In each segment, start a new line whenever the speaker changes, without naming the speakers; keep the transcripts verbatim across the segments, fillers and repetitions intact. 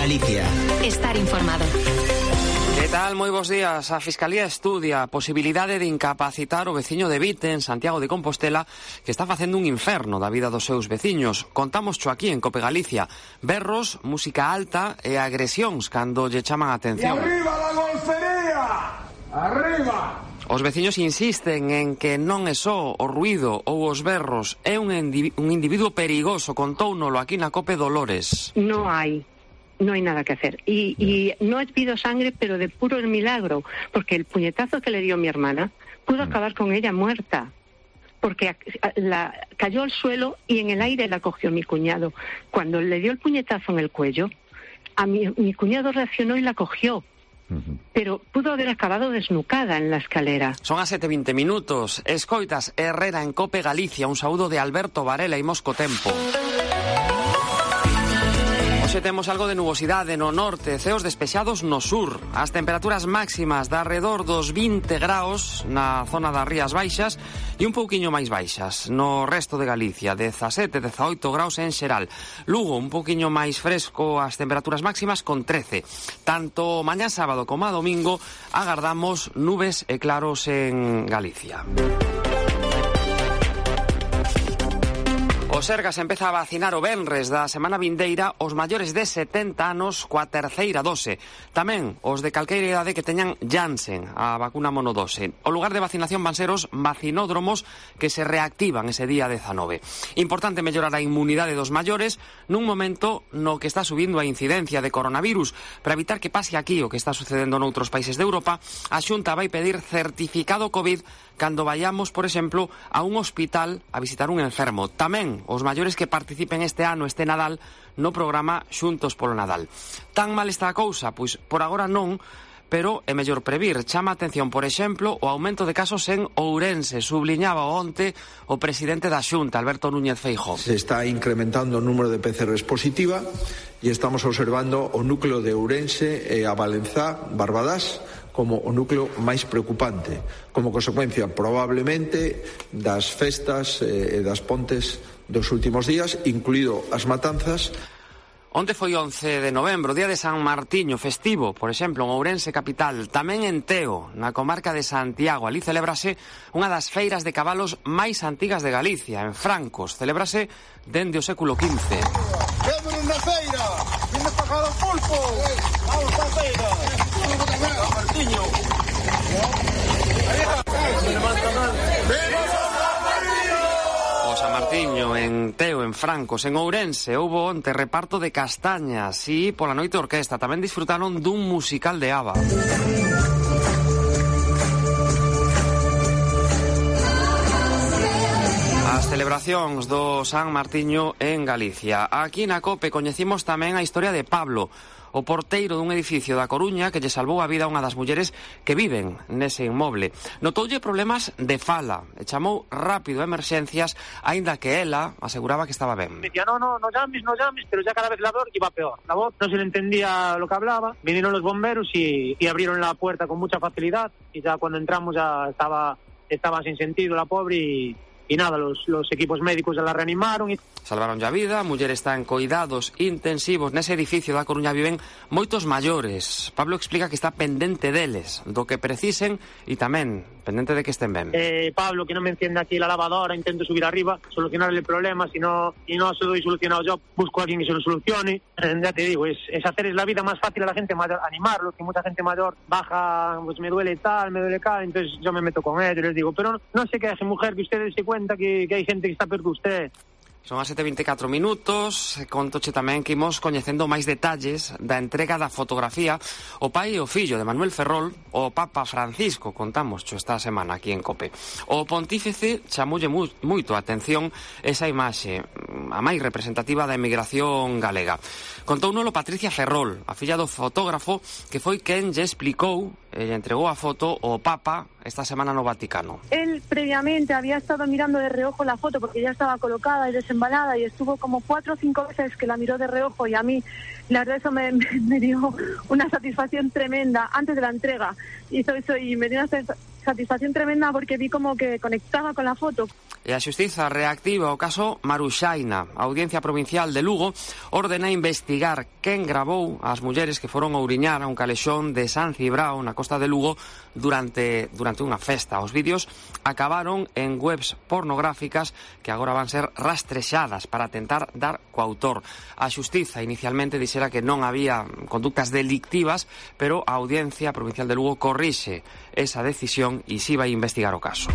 Galicia.
Estar informado.
Que tal? Moi bons días. A Fiscalía estudia a posibilidade de incapacitar o veciño de Vite, en Santiago de Compostela, que está facendo un inferno da vida dos seus veciños. Contamos cho aquí en Cope Galicia. Berros, música alta e agresións cando lle chaman a atención.
¡Y arriba la golfería! ¡Arriba!
Os veciños insisten en que non é só o ruído ou os berros, é un, un individuo perigoso, contóunolo aquí na Cope Dolores.
No hai. No hay nada que hacer. Y, y no he pido sangre, pero de puro milagro, porque el puñetazo que le dio mi hermana pudo acabar con ella muerta, porque la, cayó al suelo y en el aire la cogió mi cuñado. Cuando le dio el puñetazo en el cuello, a mi, mi cuñado reaccionó y la cogió. Uh-huh. Pero pudo haber acabado desnucada en la escalera.
Son as sete e vinte minutos. Escoitas Herrera en Cope Galicia. Un saúdo de Alberto Varela e Mosco Tempo. Hoxe temos algo de nubosidade no norte, ceos despexados no sur. As temperaturas máximas de arredor dos vinte graus na zona das Rías Baixas e un pouquiño máis baixas no resto de Galicia, dezasete, dezaoito graus en xeral. Lugo, un pouquiño máis fresco as temperaturas máximas con trece. Tanto mañá sábado como a domingo agardamos nubes e claros en Galicia. O Sergas empeza a vacinar o venres da semana vindeira os maiores de setenta anos coa terceira dose. Tamén os de calqueira idade que teñan Janssen, a vacuna monodose. O lugar de vacinación van ser os vacinódromos que se reactivan ese día dezanove. Importante mellorar a inmunidade dos maiores nun momento no que está subindo a incidencia de coronavirus. Para evitar que pase aquí o que está sucedendo noutros países de Europa, a Xunta vai pedir certificado COVID cando vayamos, por exemplo, a un hospital a visitar un enfermo. Tamén os maiores que participen este ano, este Nadal, no programa Xuntos polo Nadal. Tan mal está a cousa? Pois por agora non, pero é mellor previr. Chama a atención, por exemplo, o aumento de casos en Ourense. Subliñaba onte o presidente da Xunta, Alberto Núñez Feijóo.
Se está incrementando o número de P C Rs positiva e estamos observando o núcleo de Ourense e a Valenzá, Barbadás, como o núcleo máis preocupante, como consecuencia probablemente das festas e das pontes dos últimos días, incluído as matanzas.
Onte foi once de novembro, día de San Martiño, festivo, por exemplo, en Ourense capital, tamén en Teo, na comarca de Santiago. Ali celébrase unha das feiras de cabalos máis antigas de Galicia, en Francos. Celébrase dende o século quince.
¡Vemos na feira! ¡Vimos pagar o pulpo! ¡Vamos pa feira! ¡San Martiño!
O San Martiño en Teo, en Francos, en Ourense, houbo onte reparto de castañas e pola noite orquesta. Tamén disfrutaron dun musical de ABBA. As celebracións do San Martiño en Galicia. Aquí na Cope coñecimos tamén a historia de Pablo, o porteiro dun edificio da Coruña que lle salvou a vida a unha das mulleres que viven nese inmoble. Notoulle problemas de fala e chamou rápido a emerxencias, aínda que ela aseguraba que estaba ben.
Me decía, no, no, no llames, no llames, pero ya cada vez la voz iba peor. La voz no se le entendía lo que hablaba. Vinieron los bomberos y, y abrieron la puerta con mucha facilidad y ya cuando entramos ya estaba, estaba sin sentido la pobre y... Y nada, los, los equipos médicos ya la reanimaron e...
Salvaron a vida, a muller está en coidados intensivos. Nese edificio da Coruña viven moitos maiores. Pablo explica que está pendente deles, do que precisen e tamén pendente de que estén ben.
Eh, Pablo, que non me encienda aquí la lavadora, intento subir arriba, solucionarle el problema, si no, si no se lo doy solucionado yo, busco a alguien que se lo solucione. Eh, ya te digo, es, es hacer es la vida más fácil a la gente mayor, animarlos, que mucha gente mayor baja, pues me duele tal, me duele tal, entonces yo me meto con ellos, les digo, pero no, no se queje, mujer, que ustedes se cuenta que, que hai gente que está peor que usted.
Son as sete e vinte e catro minutos. Contoche tamén que imos coñecendo máis detalles da entrega da fotografía o pai e o fillo de Manuel Ferrol, o Papa Francisco, contamos xo esta semana aquí en Cope. O pontífice chamoulle mu moito a atención esa imaxe, a máis representativa da emigración galega. Contounolo Patricia Ferrol, a filla do fotógrafo, que foi quen lle explicou e lle entregou a foto ao Papa esta semana no Vaticano.
Él previamente había estado mirando de reojo la foto porque ya estaba colocada y desembalada y estuvo como cuatro o cinco veces que la miró de reojo y a mí la verdad eso me, me, me dio una satisfacción tremenda antes de la entrega. Hizo eso y me dio una satisfacción tremenda porque vi como que conectaba con la foto.
E a Xustiza reactiva o caso Maruxaina. A Audiencia Provincial de Lugo ordena investigar quen gravou as mulleres que foron ouriñar a un calexón de San Cibrao na costa de Lugo durante, durante unha festa. Os vídeos acabaron en webs pornográficas que agora van ser rastrexadas para tentar dar co autor. A Xustiza inicialmente dixera que non había conductas delictivas, pero a Audiencia Provincial de Lugo corrixe esa decisión e si vai investigar o caso.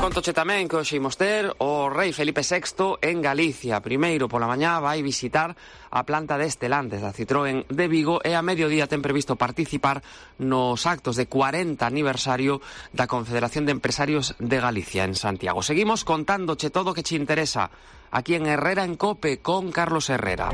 Contoche tamén que hoxe imos ter o rei Felipe sexto en Galicia. Primeiro pola mañá vai visitar a planta de Estelantes da Citroën de Vigo e a mediodía ten previsto participar nos actos de cuarenta aniversario da Confederación de Empresarios de Galicia en Santiago. Seguimos contándoche todo o que che interesa aquí en Herrera en Cope con Carlos Herrera.